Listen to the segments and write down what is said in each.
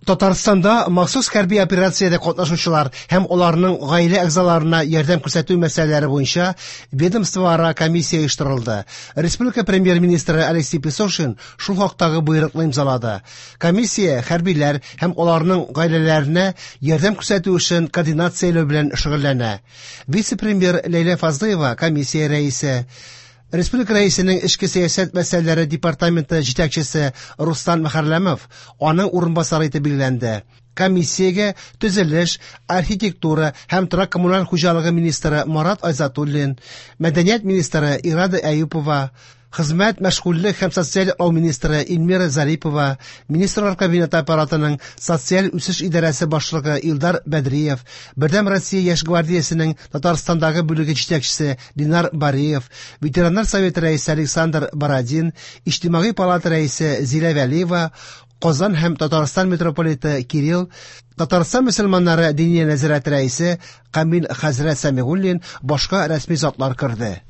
Татарстанда махсус хәрби операциядә катнашучылар һәм аларның гаилә әгъзаларына ярдәм күрсәтү мәсьәләләре буенча ведомствоара комиссия оештырылды. Республика премьер-министры Алексей Песошин шул хактагы боерыкны имзалады. Комиссия хәрбиләр һәм аларның гаиләләренә ярдәм күрсәтү эшен координацияләү белән шөгыльләнә. Вице-премьер Ләйлә Фазлыева комиссия рәисе. Республика Рәисенең эчке сәясәт мәсьәләләре департаменты җитәкчесе Руслан Мөхәрләмов аның урынбасары итеп билгеләнде. Комиссиягә төзелеш, архитектура һәм торак-коммуналь хуҗалыгы министры Марат Айзатуллин, мәдәният министры Ирада Әюпова, хезмәт, мәшгульлек һәм социаль яклау министры Эльмира Зарипова, Министрлар Кабинеты аппаратының социаль үсеш идарәсе башлыгы Илдар Бәдриев, Бердәм Россия яшь гвардиясенең Татарстандагы бүлеге җитәкчесе Линар Бариев, Ветераннар советы рәисе Александр Бородин, Иҗтимагый палата рәисе Зилә Вәлиева, Казан һәм Татарстан митрополиты Кирилл, Татарстан мөселманнары Диния нәзарәте рәисе Камил хәзрәт Сәмигуллин, башка рәсми затлар керде.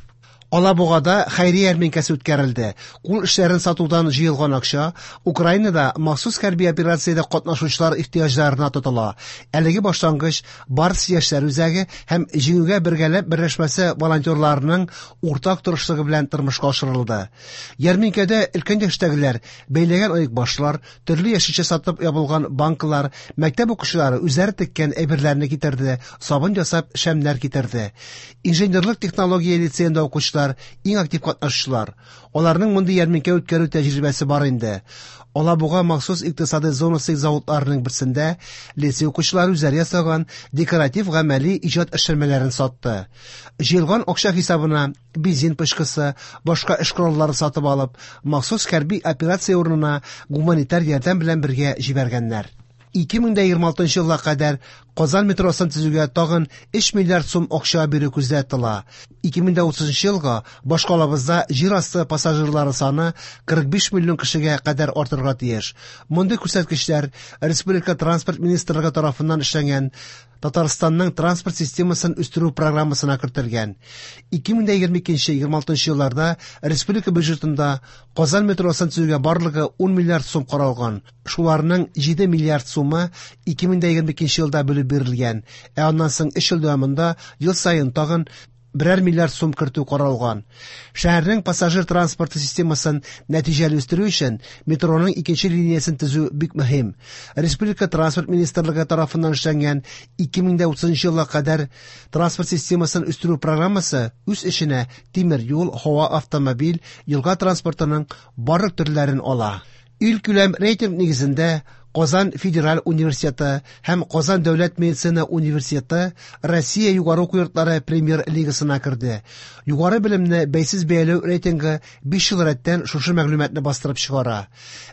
Алабугада хәйрия ярминкәсе үткәрелде. Кул эшләрен сатудан җыелган акча Украинада махсус хәрби операциядә катнашучылар ихтыяҗларына тотыла. Әлеге башлангыч Барс яшьләр үзәге һәм Җиңүгә бергәләп берләшмәсе волонтерларының уртак тырышлыгы белән тормышка ашырылды. Ярминкәдә өлкән яшьтәгеләр бәйләгән оекбашлар, төрле яшелчә сатып ябылган банкалар, мәктәп укучылары үзләре теккән әйберләрне китерде, сабын ясап шәмнәр китерде. Инженерлык технология лицеенда укучылар иң актив катнашучылар. Аларның мондый ярминкә үткәрү тәҗрибәсе бар инде. Алабуга махсус икътисадый зонасы заводларының берсендә лицей укучылары үзләре ясаган декоратив гамәли иҗат эшләнмәләрен сатты. Җыелган акча хисабына бензин пычкысы, башка эш кораллары сатып алып, махсус хәрби операция урынына гуманитар ярдәм белән бергә җибәргәннәр. 2026 елга кадәр Казан метросын төзүгә тагын 3 миллиард сум акча бирү күздә тотыла. 2030 елга башкалабызда җир асты пассажирлары саны 45 миллион кешегә кадәр артырга тиеш. Мондый күрсәткечләр Республика транспорт министрлыгы тарафыннан эшләнгән Татарстанның транспорт системасын үстерү программасына кертелгән. 2022-26 елларда республика бюджетында Казан метросын төзүгә барлыгы 10 миллиард сум каралган. Шуларның 7 миллиард сумы 2022 елда бүлеп бирелгән, ә аннан соң 3 ел дәвамында ел саен тагын берәр миллиард сум кертү каралган. Шәһәрнең пассажир транспорты системасын нәтиҗәле үстерү өчен метроның икенче линиясен төзү бик мөһим. Республика транспорт министрлыгы тарафыннан эшләнгән 2030 елга кадәр транспорт системасын үстерү программасы үз эченә тимер юл, һава, автомобиль, елга транспортының барлык төрләрен ала. Илкүләм рейтинг нигезендә Казан федераль университеты һәм Казан дәүләт медицина университеты Россия югары уку йортлары премьер-лигасына керде. Югары белемне бәйсез бәяләү рейтингы 5 ел рәттән шушы мәгълүматны бастырып чыгара.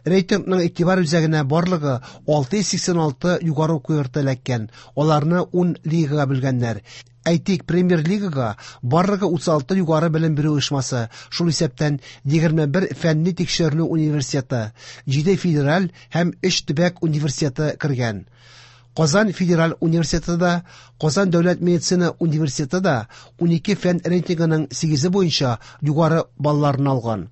Рейтингның игътибар үзәгенә барлыгы 686 югары уку йорты эләккән. Аларны 10 лигага бүлгәннәр. Әйтик, премьер-лигага барлыгы 36 югары белем бирү оешмасы, шул исәптән 21 фәнни тикшеренү университеты, 7 федераль һәм 3 төбәк университеты кергән. Казан федераль университеты да, Казан дәүләт медицина университеты да 12 фән рейтингының 8-е буенча югары балларны алган.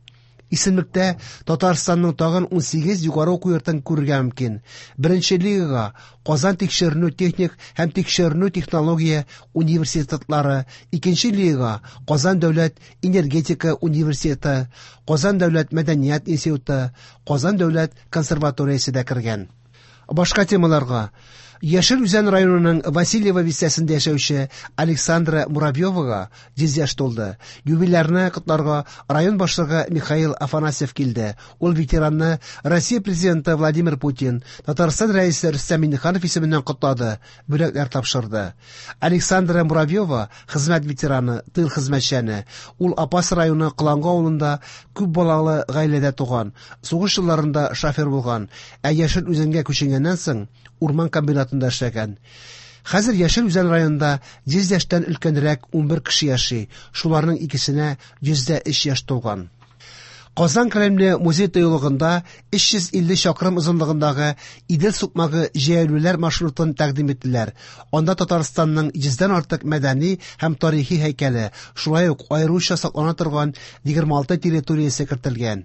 Исемлектә Татарстанның тагын 18 югары уку йортын күрергә мөмкин. Беренче лигага Казан тикшеренү техник һәм тикшеренү технология университетлары, икенче лигага Казан дәүләт энергетика университеты, Казан дәүләт мәдәният институты, Казан дәүләт консерваториясе дә кергән. Башка темаларга Яшел Үзән районының Васильево бистәсендә яшәүче Александра Муравьевага 100 яшь тулды. Юбилярны котларга район башлыгы Михаил Афанасьев килде. Ул ветеранны Россия президенты Владимир Путин, Татарстан рәисе Рөстәм Миңнеханов исеменнән котлады, бүләкләр тапшырды. Александра Муравьева хезмәт ветераны, тыл хезмәтчәне. Ул Апас районы Кылангы авылында күп балалы гаиләдә туган. Сугыш елларында шофер булган, ә Яшел Үзәнгә күченгәннән соң урман комбинатында эшләгән. Хәзер Яшел Үзән районында 100 яшьтән өлкәнрәк 11 кеше яши, шуларның икесенә 103 яшь тулган. Казан Кремле музей тыюлыгында 350 чакрым озынлыгындагы Идел сукмагы җәяүлеләр маршрутын тәкъдим иттеләр. Анда Татарстанның 100дән артык мәдәни һәм тарихи һәйкәле, шулай ук аеруча саклана торган 26 территориясе кертелгән.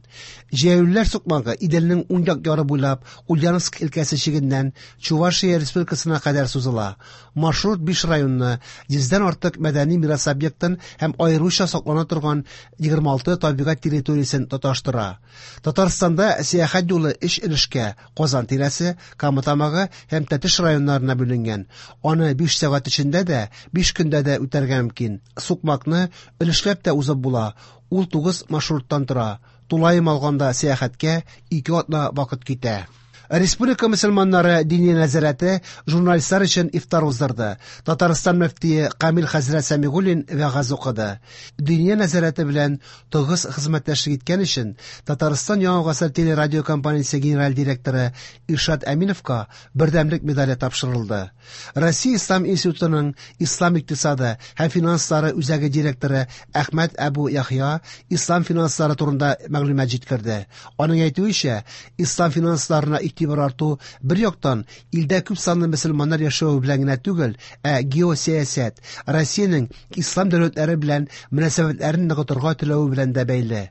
Җәяүлеләр сукмагы Иделнең уң як яры буйлап Ульяновск өлкәсе чигеннән Чувашия Республикасына кадәр сузыла. Маршрут 5 районны, 100дән артык мәдәни мирас объектын һәм аеруча саклана торган 26 табигать территориясен тоташтыра. Татарстанда сәяхәт юлы өч өлешкә: Казан тирәсе, Кама Тамагы һәм Тәтеш районнарына бүленгән. Аны 5 сәгать эчендә дә, 5 көндә дә үтәргә мөмкин. Сукмакны өлешләп тә узып була. Ул 9 маршруттан тора. Тулаем алганда сәяхәткә 2 атна вакыт китә. Республика мөселманнары Диния нәзарәте журналистлар өчен ифтар уздырды. Татарстан мөфтие Камил хәзрәт Сәмигуллин вәгазь укыды. Диния нәзарәте белән тыгыз хезмәттәшлек иткән өчен Татарстан Яңа гасыр телерадиокомпаниясе генераль директоры Иршат Әминовка Бердәмлек медале тапшырылды. Россия Ислам институтының Ислам икътисады һәм финанслары үзәге директоры Әхмәт Әбу Яхъя ислам финанслары турында мәгълүмат җиткерде. Аның әйтүенчә, ислам финансларына игътибар арту бер яктан илдә күп санлы мөселманнар яшәве белән генә түгел, ә геосәясәт, Россиянең ислам дәүләтләре белән мөнәсәбәтләрен ныгытырга теләве белән дә бәйле.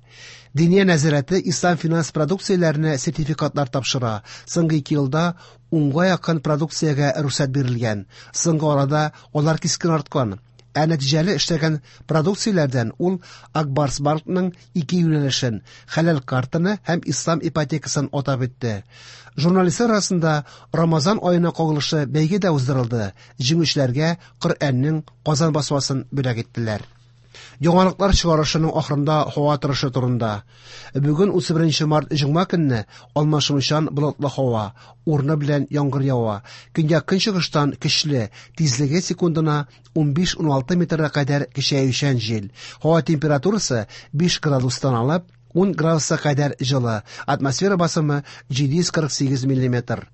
Диния нәзарәте ислам финанс продукцияләренә сертификатлар тапшыра. Соңгы 2 елда 10-га якын продукциягә рөхсәт бирелгән. Соңгы арада алар кискен арткан. Ә нәтиҗәле эшләгән продукцияләрдән ул Ак Барс банкның ике юнәлешен, хәләл картаны һәм ислам ипотекасын атап үтте. Журналистлар арасында Рамазан аена кагылышлы бәйге дә уздырылды. Җиңүчеләргә Коръәннең Казан басмасын бүләк иттеләр. Яңалыклар чыгарышының ахырында һава торышы турында. Бүген 31 март җомга көнне алмашынучан болытлы һава, урыны белән яңгыр ява. Көньяк-көнчыгыштан көчле, тизлеге секундына 15-16 метрга кадәр көчәючән җил. Һава температурасы 5 градустан алып 10 градуска кадәр җылы. Атмосфера басымы 748 миллиметр.